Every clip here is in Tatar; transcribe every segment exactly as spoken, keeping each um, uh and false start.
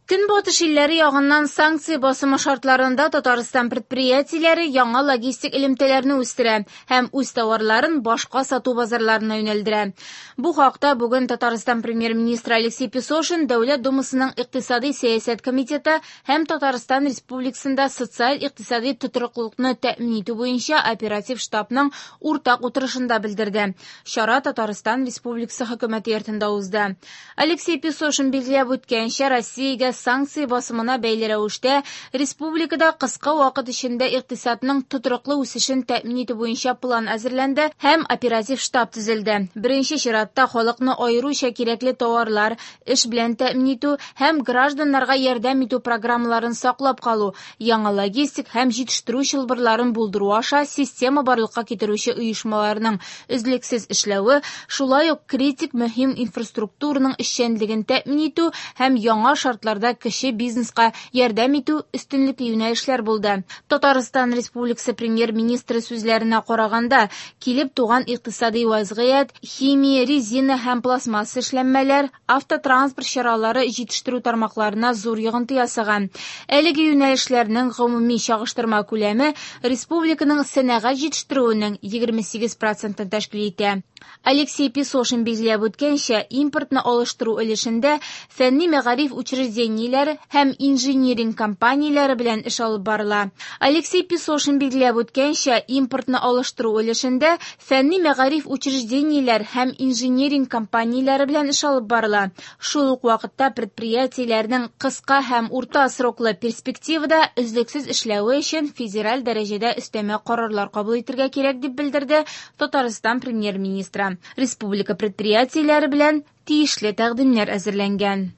Көнбатыш илләре ягыннан санкция басымы шартларында Татарстан предприятиеләре яңа логистик элемтәләрне үстерә һәм үз товарларын башка сату базарларына юнәлдерә. Бу хакта бүген Татарстан премьер-министры Алексей Песошин Дәүләт Думасының Икътисади сәясәт комитеты һәм Татарстан Республикасында социаль-икътисади тотрыклылыкны тәэмин итү буенча оператив штабның уртак утырышында белдерде. Чара Татарстан Республикасы хөкүмәте йортында узды. Алексей Песошин билгеләп үткәнчә, Россиягә санкция басымына бәйле рәвештә республикада кыска вакыт эчендә икътисадның тотрыклы үсешен тәэмин итү буенча план әзерләнде һәм оператив штаб төзелде. Беренче чиратта халыкны аеруча кирәкле товарлар, эш белән тәэмин итү һәм гражданнарга ярдәм итү программаларын саклап калу, яңа логистик һәм җитештерү чылбырларын булдыру аша система барлыкка китерүче оешмаларның өзлексез эшләве, шулай ук критик мөһим инфраструктураның эшчәнлеген тәэмин итү һәм яңа шартларда кече бизнеска ярдәм итү өстенлекле юнәлешләр булды. Татарстан Республикасы премьер-министры сүзләренә караганда, килеп туган икътисади вазгыять, химия, резина һәм пластмасса эшләнмәләр, автотранспорт чаралары җитештерү тармакларына зур йогынты ясаган. Әлеге юнәлешләрнең гомуми чагыштырма күләме республиканың сәнәгать җитештерүенең егерме сигез процентын тәшкил итә. Алексей Песошин билгеләп үткәнчә, импортны алыштыру өлешендә фәнни мәгариф учреждениеләре һәм инжиниринг компанияләре белән эш алып барыла. Алексей Песошин билгеләп үткәнчә, импортны алыштыру өлешендә фәнни мәгариф учреждениеләр һәм инжиниринг компанияләре белән эш алып барыла. Шул ук вакытта предприятиеләрнең кыска һәм урта сроклы перспективада өзлексез эшләве өчен федераль дәрәҗәдә өстәмә карарлар кабул итәргә кирәк, дип белдерде Татарстан премьер-министры. Республика предприятиеләре белән тиешле тәкъдимнәр әзерләнгән.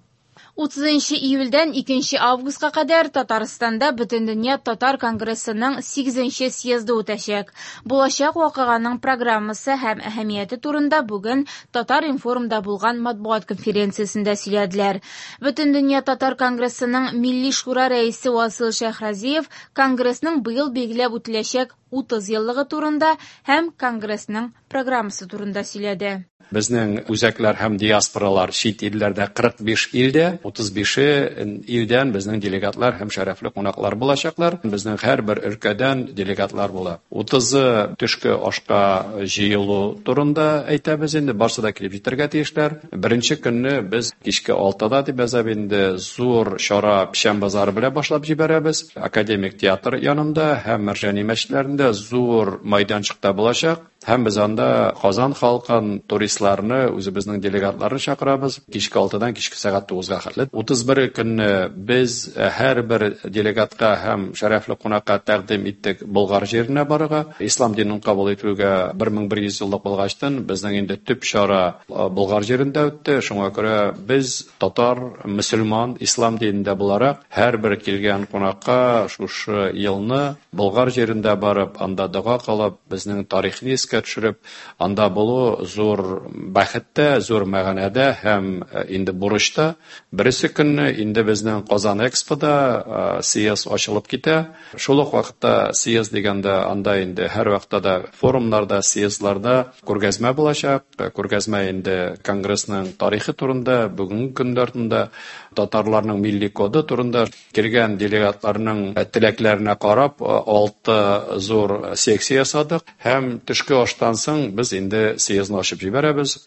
Утызынчы июльдән икенче августка кадәр Татарстанда Бөтендөнья татар конгрессының сигезенче съезды үтәчәк. Булачак вакыйганың программасы һәм әһәмияте турында бүген Татар-информда булган матбугат конференциясендә сөйләделәр. Бөтендөнья татар конгрессының Милли шура рәисе Васил Шәйхразиев конгрессның быел билгеләп үтеләчәк утыз еллыгы турында һәм конгрессның программасы турында сөйләде. Безнең үзәкләр һәм диаспоралар чит илләрдә кырык биш илдә, утыз бише илдән безнең делегатлар һәм шәрәфле кунаклар булачаклар. Безнең һәрбер өлкәдән делегатлар була. Утызы төшке ашка җыелу турында әйтәбез инде, барсы да килеп җитәргә тиешләр. Беренче көнне без кичке алтыда дип язабыз инде, зур чара Печән базары белән башлап җибәрәбез. Академик театр янында һәм Мәрҗани мәчетләрендә зур майданчыкта булачак. Һәм без анда Казан халкын, туристларны, үзебезнең делегатларны чакырабыз. Кичке алтыдан кичке сәгать тугызга хәтле. Утыз бер көнне без һәрбер делегатка һәм шәрәфле кунакка тәкъдим иттек Болгар җиренә барырга. Ислам динен кабул итүгә бер мең бер йөз еллык булгачтын безнең инде төп чара Болгар җирендә үтте. Шуңа күрә без татар, мөселман, ислам динендә буларак һәрбер килгән кунакка шушы елны Болгар җирендә барып, анда дога кылып, безнең тарихны искә төшереп, анда булу зур бәхеттә, зур мәгънәдә һәм инде бурычта. Берсе көнне инде безнең Казан Экспода съезд ачылып китә. Шул ук вакытта съезд дигәндә анда инде һәр вакытта да форумнарда, съездларда күргәзмә булачак. Күргәзмә инде конгрессның тарихы турында, бүгенге көннәр турында, татарларның милли коды турында килгән делегатларның теләкләренә карап алты зур секция ясадык һәм төшке аштан соң без инде съездны ачып җибәрәбез.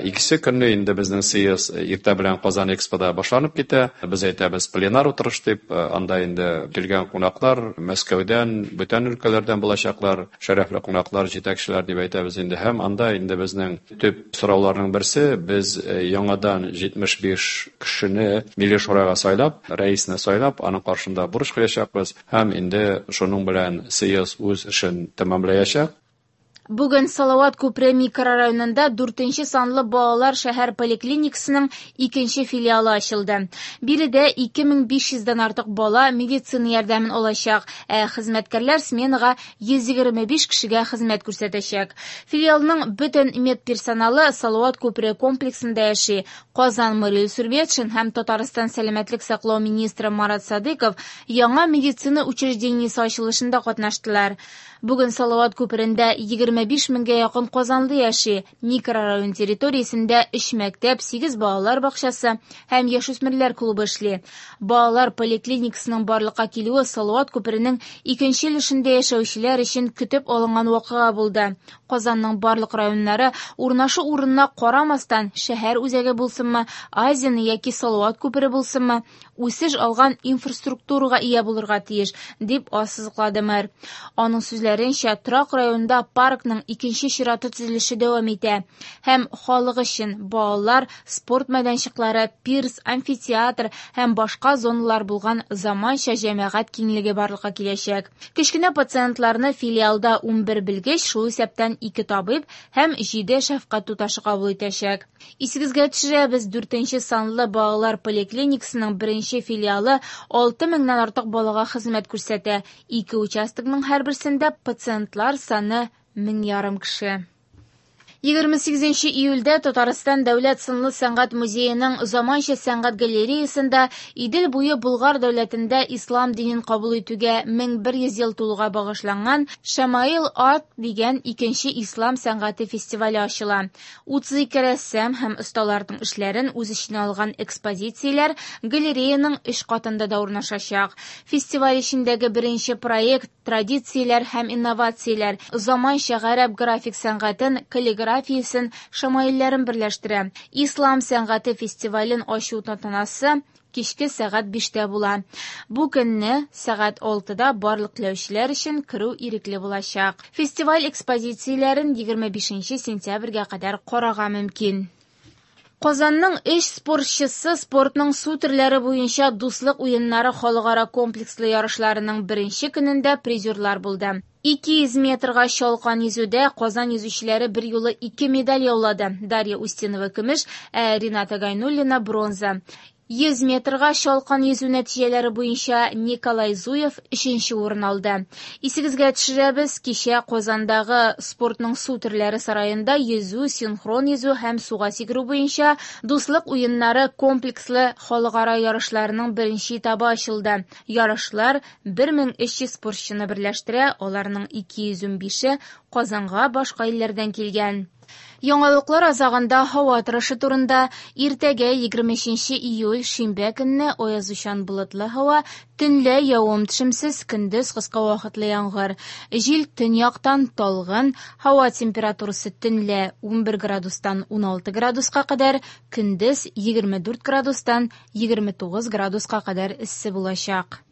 Икесе көнне инде безнең съезд иртә белән Казан Экспода башланып китә. Без әйтәбез пленар утырыш дип, анда инде килгән кунаклар Мәскәүдән, бүтән өлкәләрдән булачаклар, шәрәфле кунаклар, җитәкчеләр дип әйтәбез инде. Һәм анда инде безнең төп сорауларның берсе, без яңадан җитмеш биш кешене Милли шурага сайлап, рәисне сайлап, аның каршында бурыч куячакбыз һәм инде шуның белән съезд үз эшен тәмамлаячак. Бүген Салават күпере микрорайонында дүртенче санлы балалар шәһәр поликлиникасының икенче филиалы ачылды. Биредә ике мең биш йөздән артык бала медицина ярдәмен алачак, ә хезмәткәрләр сменага йөз егерме биш кешегә хезмәт күрсәтәчәк. Филиалның бөтен медперсоналы Салават күпере комплексында яши. Казан мэры Илсур Метшин һәм Татарстан сәламәтлек саклау министры Марат Садыков яңа медицина учреждениесе ачылышында катнаштылар. Бүген Салават күперендә егерме егерме биш меңгә якын казанлы яши. Микрорайон территориясендә өч мәктәп, сигез балалар бакчасы һәм яшүсмерләр клубы эшли. Балалар поликлиникасының барлыкка килүе Салават күперенең икенче өлешендә яшәүчеләр өчен көтеп алынган вакыйга булды. Казанның барлык районнары урнашу урынына карамастан, шәһәр үзәге булсынмы, Азияны яки Салават күпере булсынмы, үсеш алган инфраструктурага ия булырга тиеш, дип ассызыклады мэр. Аның сүзләренчә, торак районында паркның икенче чираты төзелеше дәвам итә һәм халык өчен балалар, спорт мәйданчыклары, пирс, амфитеатр һәм башка зоналар булган заманча җәмәгать киңлеге барлыкка киләчәк. Кечкенә пациентларны филиалда унбер белгеч, шул исәптән ике табиб һәм җиде шәфкать туташы кабул итәчәк. Исегезгә төшерәбез, дүртенче санлы балалар поликлиникасының беренче филиалы алты меңнән артык балага хезмәт күрсәтә. Ике участокның һәрберсендә пациентлар саны мең ярым кеше. егерме сигезенче июльдә Татарстан Дәүләт сынлы сәнгать музееның заманча сәнгать галереясында Идел буе Болгар дәүләтендә ислам динен кабул итүгә мең бер йөз ел тулуга багышланган Шамаил Арт дигән икенче ислам сәнгате фестивале ачыла. утыз ике рәссам һәм осталарның эшләрен үз эченә алган экспозицияләр галереяның өч катында да урнашачак. Фестиваль эчендәге беренче проект традицияләр һәм инновацияләр заманча гарәп график сәнгатен, каллиграфиясен, шамаилләрен берләштерә. Ислам сәнгате фестивален ачу тантанасы кичке сәгать биштә була. Бу көнне сәгать алтыда барлык теләүчеләр өчен керү ирекле булачак. Фестиваль экспозицияләрен егерме бишенче сентябрьгә кадәр карарга мөмкин. Казанның өч спортчысы спортның су төрләре буенча дуслык уеннары халыкара комплекслы ярышларының беренче көнендә призерлар булды. ике йөз метрга чалкан йөзүдә Казан йөзүчеләре бер юлы ике медаль яулады. Дарья Устинова көмеш, ә Рената Гайнуллина бронза. Йөз метрга чалкан йөзү нәтиҗәләре буенча Николай Зуев өченче урын алды. Исегезгә төшерәбез, кичә Казандагы спортның су төрләре сараенда йөзү, синхрон йөзү һәм суга сикерү буенча дуслык уеннары комплекслы халыкара ярышларының беренче этабы ачылды. Ярышлар бер мең өч йөз спортчыны берләштерә, аларның ике йөз унбише Казанга башка илләрдән килгән. Яңалыклар азагында һава торышы турында. Иртәгә егерме өченче июль шимбә көнне аязучан болытлы һава, төнлә явым-төшемсез, көндез кыска вакытлы яңгыр. Җил төньяктан талгын, һава температурасы төнлә унбер градустан уналты градуска кадәр, көндез егерме дүрт градустан егерме тугыз градуска кадәр эссе булачак.